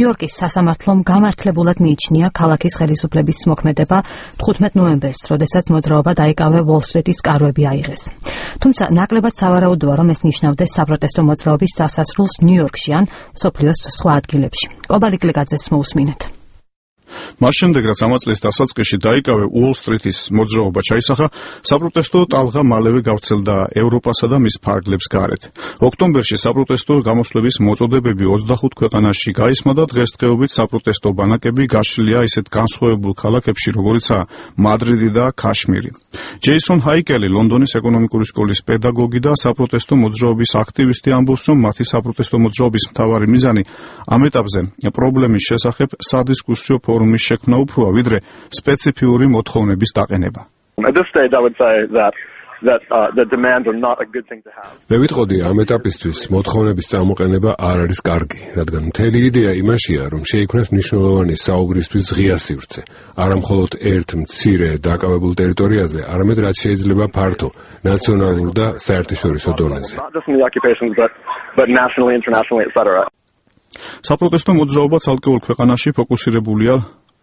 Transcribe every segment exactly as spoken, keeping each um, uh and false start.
ნიუ-იორკის სასამართლომ გამართლებულად მიიჩნია ქალაქის ხელისუფლების მოქმედება თხუთმეტ ნოემბერს, როდესაც მოძრაობა დაიკავე უოლ-სტრიტის კარვები აიღეს. თუმცა ნაკლებად სავარაუდოა, რომ ეს ნიშნავდეს საპროტესტო მოძრაობის დასასრულს ნიუ-იორკში ან მსოფლიოს სხვა ადგილებში. კობალი გლეგაძეს მოусმინეთ. მას შემდეგ, რაც ამა წლის დასაწყისში დაიკავე უოლ-სტრიტის მოძრაობა ჩაისახა, საპროტესტო ტალღა მალევე გავრცელდა ევროპასა და მის ფარგლებს გარეთ. ოქტომბერში საპროტესტო გამოსვლების მოწოდებები ოცდახუთ ქვეყანაში გაისმა და დღესდღეობით საპროტესტო ბანაკები გაშლილია ისეთ განსხვავებულ ქალაქებში, როგორიცაა მადრიდი და ქაშმირი. ჯეისონ ჰაიკელი, ლონდონის ეკონომიკური სკოლის პედაგოგი და საპროტესტო მოძრაობის აქტივისტი, ამბობს, რომ მათი საპროტესტო მოძრაობის მთავარი მიზანი ამ ეტაპზე პრობლემის შესახებ სადისკუსიო ფორუმის შექმნა უფროა, ვიდრე სპეციფიური მოთხოვნების დაყენება. მე ვიტყოდი, ამ ეტაპისთვის მოთხოვნების წამოყენება არ არის კარგი, რადგან მთელი იდეა იმაშია, რომ შეიქმნას მნიშვნელოვანი საუბრისთვის ღია სივრცე, არა მხოლოდ ერთ მცირე დაკავებულ ტერიტორიაზე, არამედ რაც შეიძლება ფართო, ნაციონალურ და საერთაშორისო დონეზე. საპროტესტო მოძრაობა ცალკეულ ქვეყანაში ფოკუსირებულია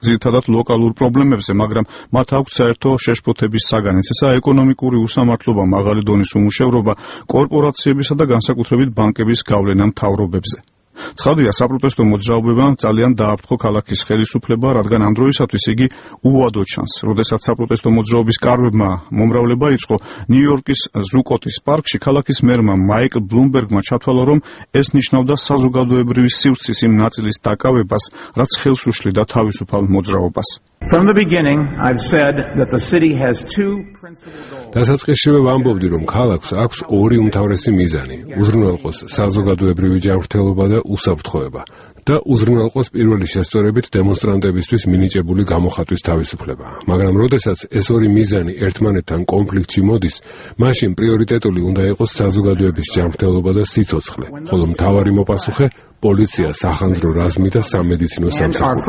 ძირითადად ლოკალურ პრობლემებზე, მაგრამ მათ აქვთ საერთო შეშფოთების საგანიც, ესაა ეკონომიკური უსამართლობა, მაღალი დონის უმუშევრობა, კორპორაციებისა და განსაკუთრებით ბანკების გავლენა მთავრობებზე. ცხადია, საპროტესტო მოძრაობებამ ძალიან დააფრთხო ქალაქის ხელისუფლება, რადგან ამ დროისათვის იგი უვადო ჩანს. როდესაც საპროტესტო მოძრაობის კარვებმა მომრავლება იწყო, ნიუ-იორკის ზუკოტის პარკში ქალაქის მერმა მაიკლ ბლუმბერგმა ჩათვალა, რომ ეს ნიშნავდა საზოგადოებრივი სივრცის იმ ნაწილის დაკავებას, რაც ხელს უშლიდა თავისუფალ მოძრაობას. From the beginning, I've said that the city has two principal goals. დასაწყისშივე ვამბობდი, რომ ქალაქს აქვს ორი უმთავრესი მიზანი: უზრუნველყოს საზოგადოებრივი ჯანმრთელობა და უსაფრთხოება და უზრუნველყოს პირველი შესწორებით დემონსტრანტებისთვის მინიჭებული გამოხატვის თავისუფლება. მაგრამ როდესაც ეს ორი მიზანი ერთმანეთთან კონფლიქტში მოდის, მაშინ პრიორიტეტული უნდა იყოს საზოგადოების ჯანმრთელობა და სიცოცხლე, ხოლო მთავარი მოპასუხე პოლიცია, სახანძრო რაზმი და სამედიცინო სამსახური.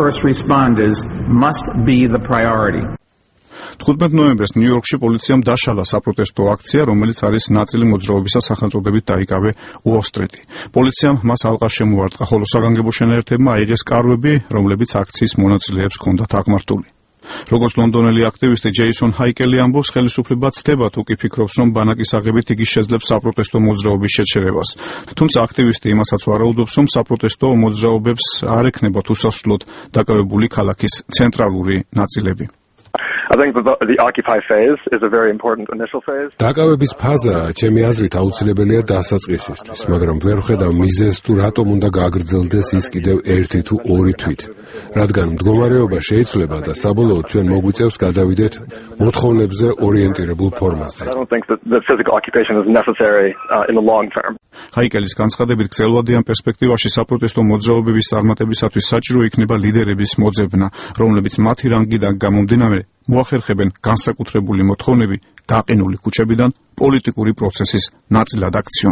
თხუთმეტ ნოემბერს ნიუ-იორკში პოლიციამ დაშალა საპროტესტო აქცია, რომელიც არის ნაწილი მოძრაობისა სახელწოდებით დაიკავე უოლ-სტრიტი. პოლიციამ მას ალყა შემოარტყა, ხოლო საგანგებო შენაერთებმა აიღეს კარვები, რომლებიც აქციის მონაწილეებს ჰქონდათ აღმართული. როგორც ლონდონელი აქტივისტი ჯეისონ ჰაიკელი ამბობს, ხელისუფლება ცდება თუ კი ფიქრობს, რომ ბანაკის აღებით იგი შეძლებს საპროტესტო მოძრაობის შეჩერებას. თუმცა აქტივისტი იმასაც ვარაუდობს, რომ საპროტესტო მოძრაობებს არ ექნებათ უსასრულოდ დაკავებული ქალაქის ცენტრალური ნაწილები. I think the, the Occupy phase is a very important initial phase. დაკავების ფაზა, ჩემი აზრით, აუცილებელია დასაწყისისთვის, მაგრამ ვერ ვხედავ მიზეზს თუ რატომ უნდა გაგრძელდეს ის კიდევ ერთი თუ ორი თვით. რადგან მდგომარეობა შეიცვლება და საბოლოოდ ჩვენ მოგვიწევს გადავიდეთ მოთხოვნებზე ორიენტირებულ ფორმაზე. I don't think that the physical occupation is necessary uh, in the long term. ჰაიკელის განცხადებით, გრძელვადიან პერსპექტივაში საპროტესტო მოძრაობების წარმატებისათვის საჭირო იქნება ლიდერების მოძებნა, რომლებიც მათი რანგიდან გამომდინარე მოახერხებენ განსაკუთრებული მოთხოვნები გაყინული ქუჩებიდან პოლიტიკური პროცესის ნაწილად აქციონ.